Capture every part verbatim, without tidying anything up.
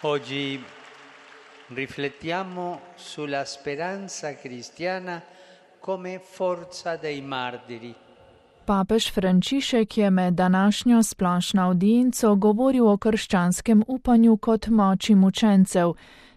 Oggi riflettiamo sulla speranza cristiana come forza dei martiri. Papež Frančišek je med današnjo splošno avdienco govoril o krščanskem upanju kot moči mučencev.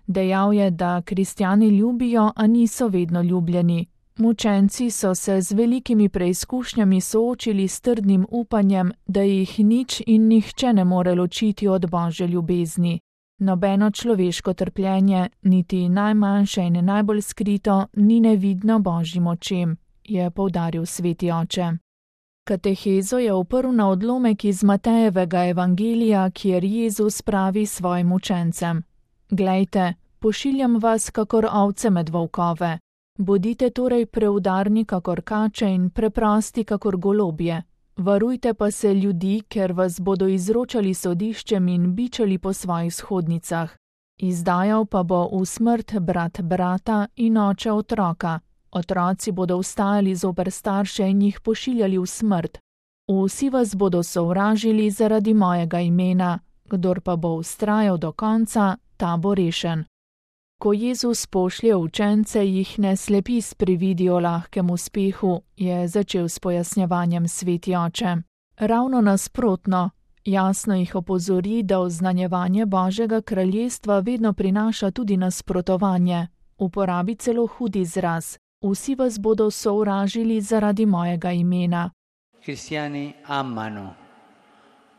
Dejal je, da kristjani ljubijo, a niso vedno ljubljeni. Mučenci so se z velikimi preizkušnjami soočili s trdnim upanjem, da jih nič in nihče ne more ločiti od Božje ljubezni. Nobeno človeško trpljenje, niti najmanjše in najbolj skrito, ni nevidno Božjim očem, je poudaril sveti oče. Katehezo je oprl na odlomek iz Matejevega evangelija, kjer Jezus pravi svojim učencem: Glejte, pošiljam vas kakor ovce med volkove. Bodite torej preudarni kakor kače in preprosti kakor golobje. Varujte pa se ljudi, ker vas bodo izročali sodiščem in bičali po svojih shodnicah. Izdajal pa bo v smrt brat brata in oče otroka. Otroci bodo vstajali zoper starše in jih pošiljali v smrt. Vsi vas bodo sovražili zaradi mojega imena, kdor pa bo vztrajal do konca, ta bo rešen. Ko Jezus pošlje učence, jih ne slepi s prividi o lahkem uspehu, je začel s pojasnjevanjem sveti oče. Ravno nasprotno, jasno jih opozori, da oznanjevanje Božjega kraljestva vedno prinaša tudi nasprotovanje. Uporabi celo hud izraz: vsi vas bodo sovražili zaradi mojega imena. Cristiani amano,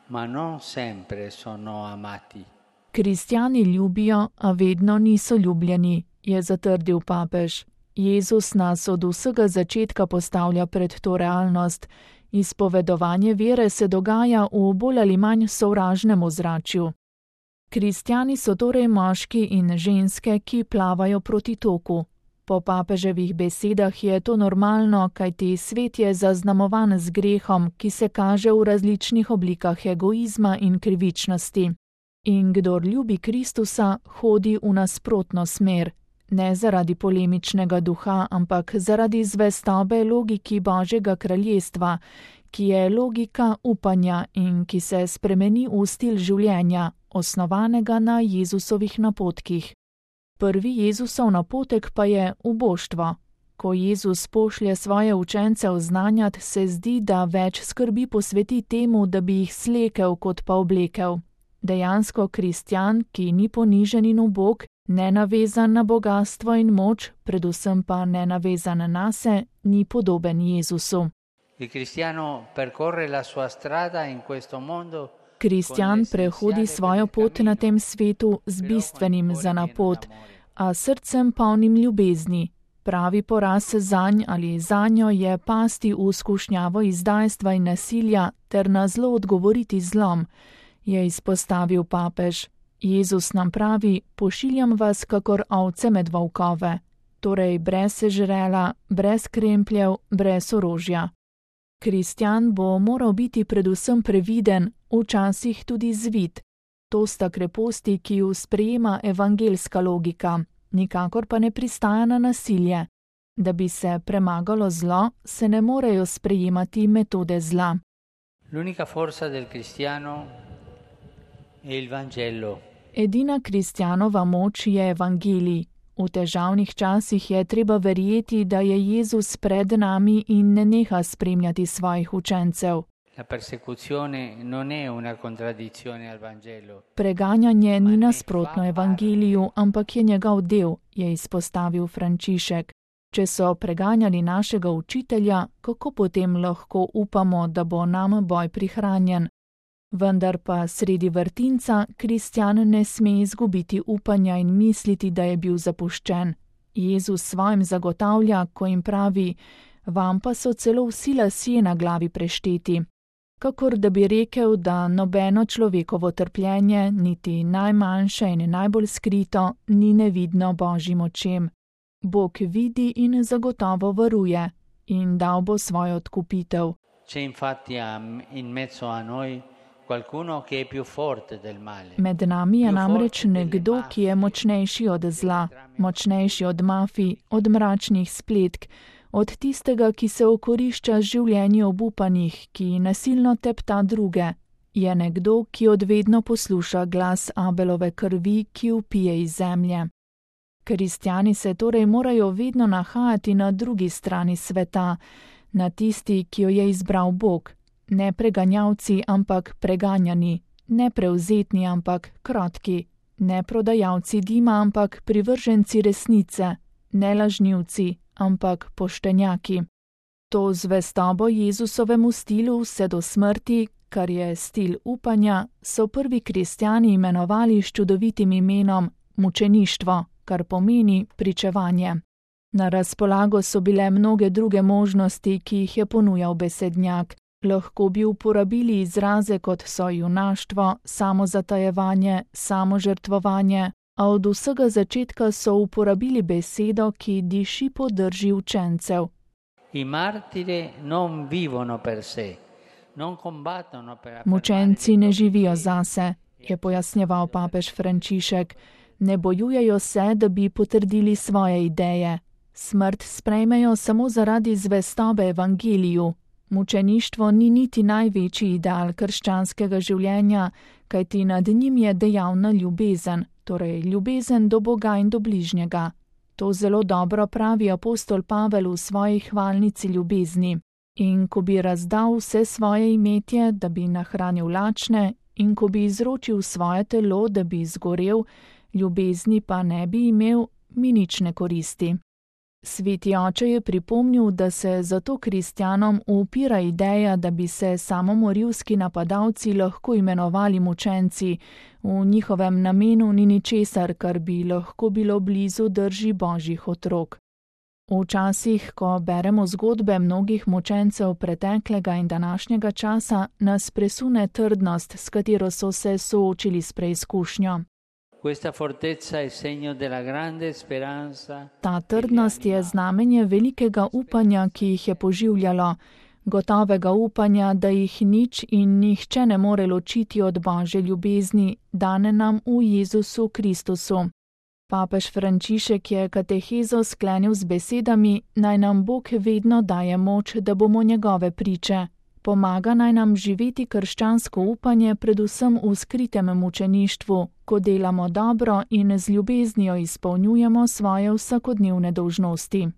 ma non sempre sono amati. Kristjani ljubijo, a vedno niso ljubljeni, je zatrdil papež. Jezus nas od vsega začetka postavlja pred to realnost. Izpovedovanje vere se dogaja v bolj ali manj sovražnem ozračju. Kristjani so torej moški in ženske, ki plavajo proti toku. Po papeževih besedah je to normalno, kajti svet je zaznamovan z grehom, ki se kaže v različnih oblikah egoizma in krivičnosti. In kdor ljubi Kristusa, hodi v nasprotno smer, ne zaradi polemičnega duha, ampak zaradi zvestobe logiki Božjega kraljestva, ki je logika upanja in ki se spremeni v stil življenja, osnovanega na Jezusovih napotkih. Prvi Jezusov napotek pa je uboštvo. Ko Jezus pošlje svoje učence oznanjat, se zdi, da več skrbi posveti temu, da bi jih slekel kot pa oblekel. Dejansko kristjan, ki ni ponižen in ubog, ne navezan na bogastvo in moč, predvsem pa ne navezan nase, ni podoben Jezusu. Kristjan prehodi svojo pot na tem svetu z bistvenim za napot, a srcem polnim ljubezni. Pravi poraz zanj ali zanjo je pasti v skušnjavo izdajstva in nasilja ter na zlo odgovoriti zlom, je izpostavil papež. Jezus nam pravi: pošiljam vas kakor ovce med volkove, torej brez sežrela, brez krempljev, brez orožja. Kristjan bo moral biti predvsem previden, včasih tudi zvit. To sta kreposti, ki ju sprejema evangelska logika, nikakor pa ne pristaja na nasilje. Da bi se premagalo zlo, se ne morejo sprejemati metode zla. L'unica forza del cristiano è il Vangelo. Edina kristjanova moč je evangelij. V težavnih časih je treba verjeti, da je Jezus pred nami in ne neha spremljati svojih učencev. La persecuzione non è una contraddizione al Vangelo. Preganjanje ni nasprotno evangeliju, ampak je njegov del, je izpostavil Frančišek. Če so preganjali našega učitelja, kako potem lahko upamo, da bo nam boj prihranjen? Vendar pa sredi vrtinca kristjan ne sme izgubiti upanja in misliti, da je bil zapuščen. Jezus svojim zagotavlja, ko jim pravi: vam pa so celo vsi lasje na glavi prešteti. Kakor da bi rekel, da nobeno človekovo trpljenje, niti najmanjše in najbolj skrito, ni nevidno Božjim očem. Bog vidi in zagotovo varuje in dal bo svojo odkupitev. C'è infatti in mezzo a noi qualcuno che è più forte del male. Med nami je namreč nekdo, ki je močnejši od zla, močnejši od mafij, od mračnih spletk, od tistega, ki se okorišča z življenji obupanih, ki nasilno tepta druge. je nekdo, ki odvedno posluša glas Abelove krvi, ki vpije iz zemlje. Kristjani se torej morajo vedno nahajati na drugi strani sveta, na tisti, ki jo je izbral Bog, ne preganjavci, ampak preganjani, ne prevzetni, ampak krotki, ne prodajalci dima, ampak privrženci resnice, ne lažnivci, ampak poštenjaki. To zvestobo Jezusovemu stilu vse do smrti, kar je stil upanja, so prvi kristjani imenovali s čudovitim imenom mučeništvo, kar pomeni pričevanje. Na razpolago so bile mnoge druge možnosti, ki jih je ponujal besednjak. Lahko bi uporabili izraze kot so junaštvo, samozatajevanje, samožrtvovanje, a od vsega začetka so uporabili besedo, ki diši po drži učencev. I martiri non vivono per sé, non combattono per Mučenci ne živijo zase, je pojasnjeval papež Frančišek. Ne bojujejo se, da bi potrdili svoje ideje. Smrt sprejmejo samo zaradi zvestobe evangeliju. Mučeništvo ni niti največji ideal krščanskega življenja, kajti nad njim je dejavna ljubezen, torej ljubezen do Boga in do bližnjega. To zelo dobro pravi apostol Pavel v svoji hvalnici ljubezni. In ko bi razdal vse svoje imetje, da bi nahranil lačne, in ko bi izročil svoje telo, da bi izgorel, ljubezni pa ne bi imel, mi nič ne koristi. Sveti oče je pripomnil, da se zato kristjanom upira ideja, da bi se samomorilski napadalci lahko imenovali mučenci, v njihovem namenu ni ničesar, kar bi lahko bilo blizu drži božjih otrok. Včasih, ko beremo zgodbe mnogih mučencev preteklega in današnjega časa, nas presune trdnost, s katero so se soočili s preizkušnjo. Ta trdnost je znamenje velikega upanja, ki jih je poživljalo, gotovega upanja, da jih nič in nihče ne more ločiti od Božje ljubezni, dane nam v Jezusu Kristusu. Papež Frančišek je katehezo sklenil z besedami: naj nam Bog vedno daje moč, da bomo njegove priče. Pomaga naj nam živeti krščansko upanje predvsem v skritem mučeništvu, ko delamo dobro in z ljubeznijo izpolnjujemo svoje vsakodnevne dolžnosti.